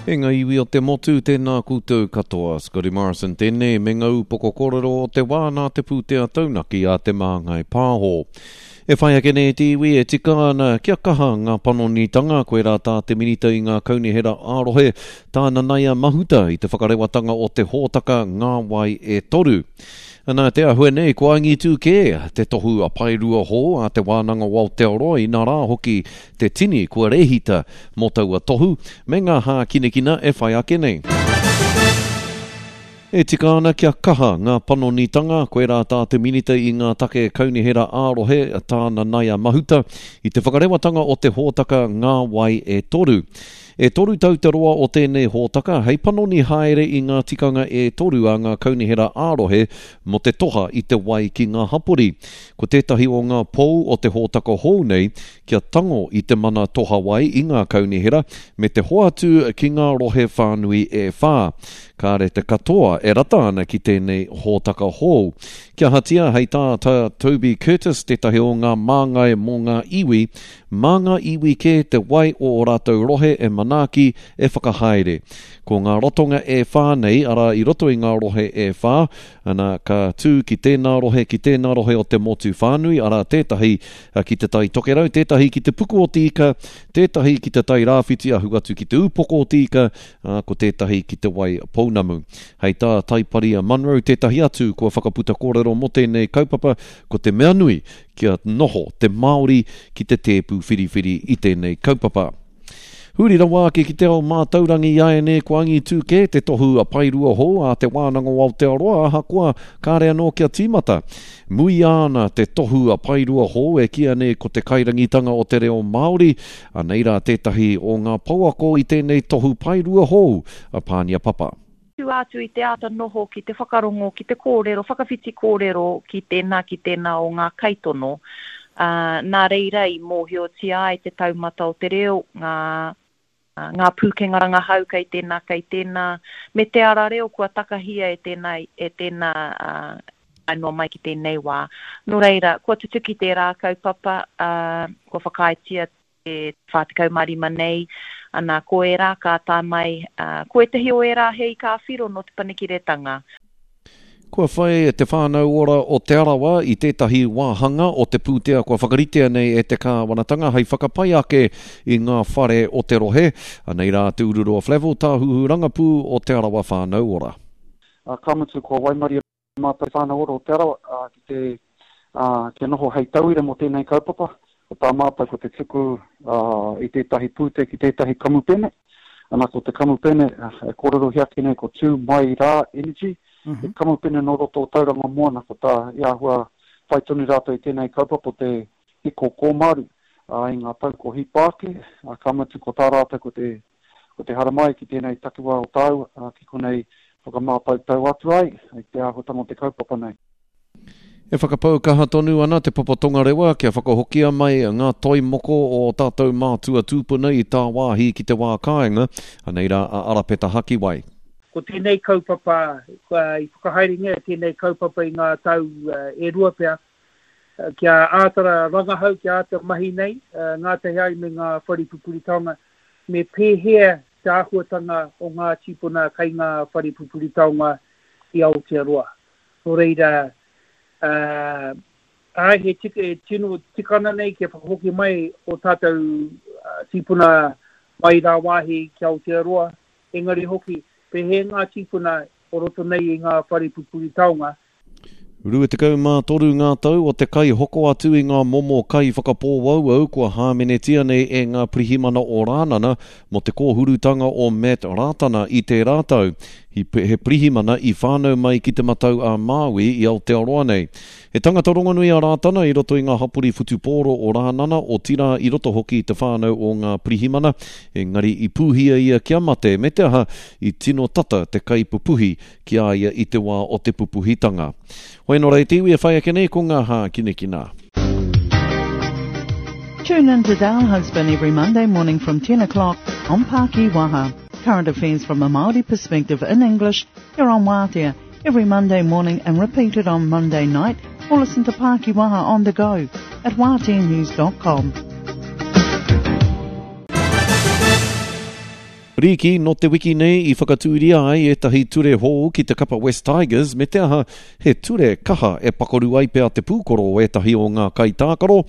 E ngā iwi o te motu, tēnā koutou katoa. Scotty Morrison tēnei me ngā upoko kōrero o te wā nā te pūtea taunaki a Te Māngai Pāho. E whai ake nei te iwi e tika ana kia kaha ngā panonitanga, koirā tā te Minita i ngā kaunihera ā-rohe, tā Nanaia Mahuta i te whakarewatanga o te hōtaka Ngā Wai e Toru. Ana, te āhua nei, ko angitu kē te tohu a Paerua hou a Te Wānanga o Aotearoa, inā rā hoki te tini kua rēhita mō taua tohu, me ngā hākinakina e whai ake nei. E tika ana kia kaha ngā panonitanga, koirā tā te Minita i ngā take kaunihera ā-rohe, tā Nanaia Mahuta, i te whakarewatanga o te hōtaka Ngā Wai e Toru. E toru tau te roa o tēnei hōtaka hei panoni haere i ngā tikanga e toru a ngā kaunihera ā-rohe mō te toha i te wai ki ngā hapori. Ko tētahi o ngā pou o te hōtaka hou nei kia tango i te mana toha wai i ngā kaunihera me te hoatu ki ngā rohe whānui e whā. Kāre te katoa e rata ana ki tēnei hōtaka hou. Kia ahatia, hei tā Tā Toby Curtis, tētahi o ngā māngai mō ngā iwi, Mā ngā iwi kē te wai o ō rātou rohe e manaaki, e whakahaere. Ko ngā ratonga e whā nei, arā, i roto i ngā rohe e whā, ana, ka tū ki tēnā rohe, ki tēnā rohe o te motu whānui, arā, tētahi ki Te Tai Tokerau, tētahi ki Te Puku o Te Ika, tētahi ki Te Tai Rāwhiti ahu atu ki Te Ūpoko o Te Ika, ā, ko tētahi ki Te Wai Pounamu. Hei tā Taiparia Munro, tētahi atu kua whakaputa kōrero mō tēnei kaupapa, ko te mea nui, kia noho te Māori ki te tēpu whiriwhiri i tēnei kaupapa. Huri rawa ake ki te ao mātaurangi iāianei kua angitū kē te tohu a Paerua hou a Te Wānanga o Aotearoa ahakoa kāre anō kia tīmata. Muia ana te tohu a Paerua hou e kīia nei ko te kairangitanga o te reo Māori, anei rā tētahi o ngā pouako i tēnei tohu Paerua hou a Pānia Papa. Tua atu i te āta noho ki te whakarongo, ki te kōrero, whakawhiti kōrero ki tēnā, ki tēnā o ngā kaitono, ā, nā reira i mōhiotia ai te taumata o te reo, ngā, ngā pūkenga rangahau kei tēnā, kei tēnā, me te ara reo kua takahia e tēnā, e tēnā, ā, tae noa mai ki tēnei wā. Nō reira, kua tutuki tērā kaupapa, ā, kua whakaaetia te 45 nei, ana, ko ērā ka tae mai, ā, ko ētahi o ērā he ika ā-whiro nō Te Panekiretanga. Kua whai Te Whānau Ora o Te Arawa i tētahi wāhanga o te pūtea kua whakaritea nei e te kāwanatanga hei whakapai ake i ngā whare o te rohe. Anei rā Te Ururoa Flavell, Tāhuhu Rangapū o Te Arawa Whānau Ora. Ā, ka mutu kua waimarie Mātou Whānau Ora o Te Arawa ki te kia noho hei tauira mō tēnei kaupapa. Ko tā mātou ko te tuku i tētahi pūtea ki tētahi kamupene. Ana ko te kamupene e kōrerohia ake nei ko Tū Mai Rā Energy, he kamupene nō roto o Tauranga Moana. Ko tā i āhua whai tonu rātou i tēnei kaupapa o te hiko kōmaru i ngā tau ko hipa ake, ka mutu ko tā rātou ko te Ko te haramai ki tēnei takiwā o tāua, ā, ki konei whakamātautau atu ai i te āhuatanga o te kaupapa nei. E whakapau kaha tonu ana Te Papa Tongarewa kia whakahokia mai ngā toi moko o ō tātou mātua tūpuna i tāwāhi ki te wā kāinga, anei rā a Arapeta Hakiwai. Ko tēnei kaupapa, i whakahaerengia tēnei kaupapa i ngā tau e rua pea, kia āta rangahau, kia āta mahi nei, ngātahi ai me ngā whare pupuri taonga, Me pēhea te āhuatanga o ngā tīpuna kei ngā whare pupuri taonga i Aotearoa? Nō reira, āe, he tika, e tino tika ana nei kia whakahoki mai ō tātou tīpuna mai rāwāhi ki Aotearoa, engari hoki, pēhea ngā tīpuna o roto nei i ngā whare pupuri taonga, 23 ngā tau o te kaihoko atu i ngā momo kai whakapōauau kua hāmenetia nei e ngā pirihimana o Rānana mō te kōhurutanga o Matt Rātana i tērā tau. He pirihimana i whānau mai ki Te Matau-a-Māui i Aotearoa nei. He tangata rongonui a Rātana i roto i ngā hapori whutupōro o Rānana, otirā i roto hoki i te whānau o ngā pirihimana, engari i pūhia ia kia mate, me te aha, i tino tata te kaipupuhi ki a ia i te wā o te pupuhitanga. Hoi anō rā e te iwi e whai ake nei ko ngā hākinakina. Tune in to Dale Husband every Monday morning from 10 o'clock on Paki Waha. Current affairs from a Māori perspective in English here on Wātea every Monday morning and repeated on Monday night or listen to Paki Waha on the go at wāteanews.com. Rīki, nō te wiki nei i whakatūria ai ētahi ture hou ki te kapa West Tigers me te aha, he ture kaha e pakaru ai pea te pūkoro o ētahi o ngā kaitākaro.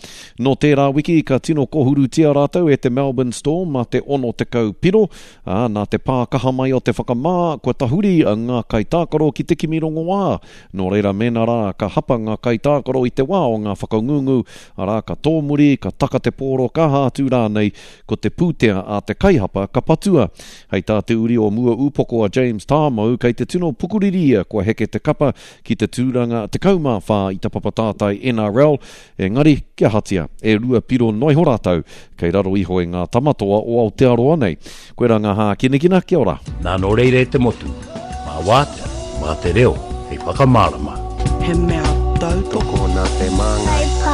Nō tērā wiki ka tino kōhurutia rātou e te Melbourne Storm mā te 60 piro, ā, nā te pā kaha mai o te whakamā, kua tahuri ngā kaitākaro ki te kimi rongoā. Nō reira mēnā rā ka hapa ngā kaitākaro i te wā o ngā whakangungu, arā, ka tōmuri, ka taka te pōro, ka aha atu rānei, Ko te pūtea a te kaihapa ka patua. Hei tā te uri o Muaūpoko a James Tamou, kei te tino pukuriri ia kua heke te kapa ki te tūranga 14 i te papa tātai NRL, engari kia ahatia, e 2 piro noa iho rātou kei raro iho i ngā tamatoa o Aotearoa nei. Koirā ngā hākinakina, kia ora. Nā nō reira e te motu, mā wātea, mā te reo hei whakamārama. He mea tautoko. Tokona te māngai.